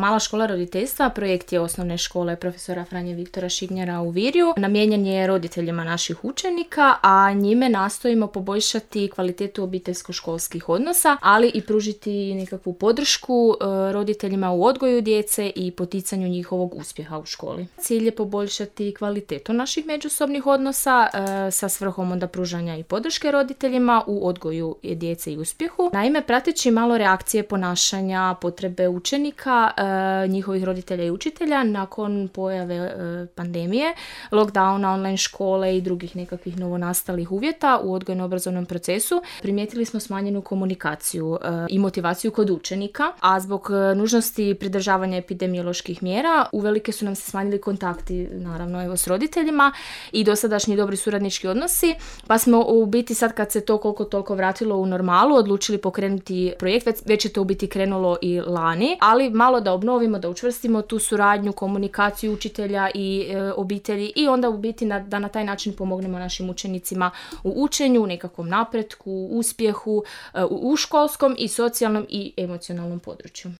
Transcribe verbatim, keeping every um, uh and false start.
Mala škola roditeljstva projekt je osnovne škole profesora Franje Viktora Šignjara u Virju. Namijenjen je roditeljima naših učenika, a njime nastojimo poboljšati kvalitetu obiteljsko-školskih odnosa, ali i pružiti nekakvu podršku e, roditeljima u odgoju djece i poticanju njihovog uspjeha u školi. Cilj je poboljšati kvalitetu naših međusobnih odnosa e, sa svrhom onda pružanja i podrške roditeljima u odgoju djece i uspjehu. Naime, prateći malo reakcije ponašanja, potrebe učenika, e, njihovih roditelja i učitelja nakon pojave e, pandemije, lockdowna, online škole i drugih nekakvih novonastalih uvjeta u odgojno-obrazovnom procesu, primijetili smo smanjenu komunikaciju e, i motivaciju kod učenika, a zbog e, nužnosti pridržavanja epidemioloških mjera uvelike su nam se smanjili kontakti, naravno, evo, s roditeljima i dosadašnji dobri suradnički odnosi, pa smo u biti sad kad se to koliko toliko vratilo u normalu, odlučili pokrenuti projekt, već, već je to u biti krenulo i lani, ali malo da obnovimo, da učvrstimo tu suradnju, komunikaciju učitelja i e, obitelji i onda u biti na, da na taj način pomognemo našim učenicima u učenju, nekakvom napretku, uspjehu e, u školskom i socijalnom i emocionalnom području.